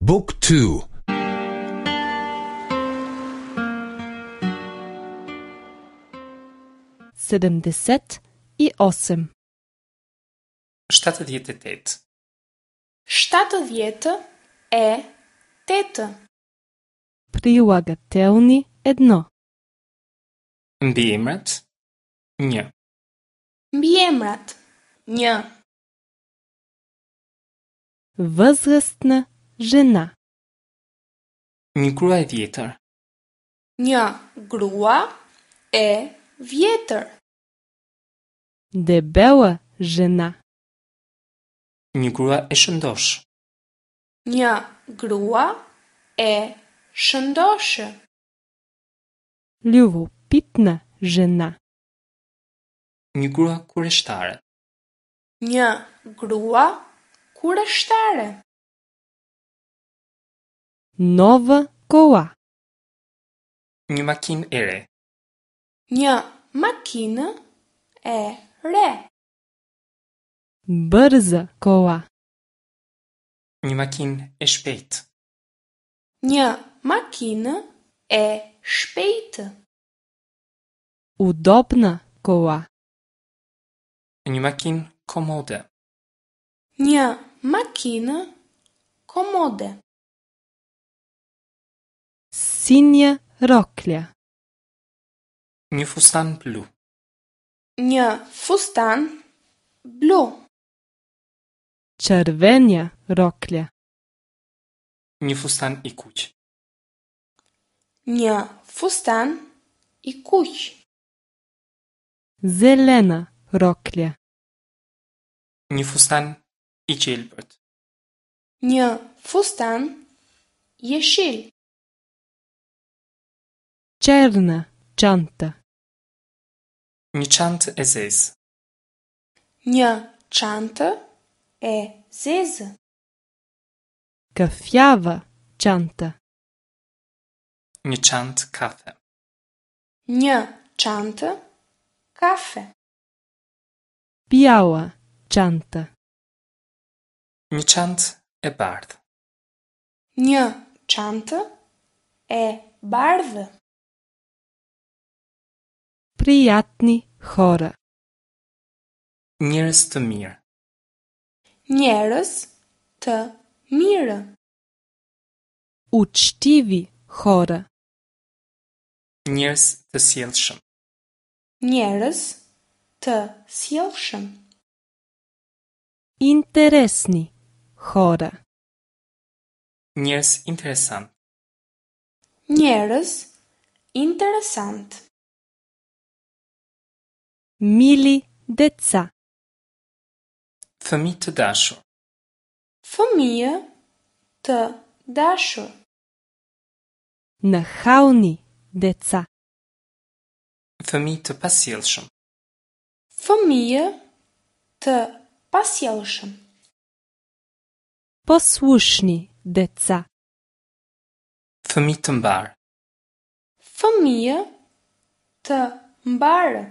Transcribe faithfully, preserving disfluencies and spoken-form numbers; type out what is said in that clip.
Book two. Седемдесет и осем. Shtatëdhjetë e tetë. Shtatëdhjetë e tetë. Прилагателни едно. Mbiemrat një. Mbiemrat një. Възрастна жена. Një grua e vjetër. Një grua e vjetër. Дебела жена. Një grua e shëndoshë. Një grua e shëndoshë. Любопитна жена. Një grua kureshtare. Një grua kureshtare. Нова кола. Një makinë e re. Një makinë e re. Бърза кола. Një makinë e shpejtë. Një makinë e shpejtë. Удобна кола. Një makinë komode. Një makinë komode. Синя рокля. Një fustan blu. Një fustan blu. Червена рокля. Një fustan i kuq. Një fustan i kuq. Зелена рокля. Një fustan i gjelbërt. Një fustan jeshil. Черна чанта. Një çantë e zezë. Një çantë e zezë. Кафява чанта. Një çantë kafe. Një çantë kafe. Бяла чанта. Një çantë e bardhë. Një çantë e bardhë. Приятни хора. Njerëz të mirë. Njerëz të mirë. Учтиви хора. Njerëz të sjellshëm. Njerëz të sjellshëm. Интересни хора. Njerëz interesant. Njerëz interesant. Мили деца. Fëmijë të dashur. Fëmijë të dashur. Нахални деца. Fëmijë të pasjellshëm. Fëmijë të pasjellshëm. Послушни деца. Fëmijë të mbar. Fëmijë të mbarë.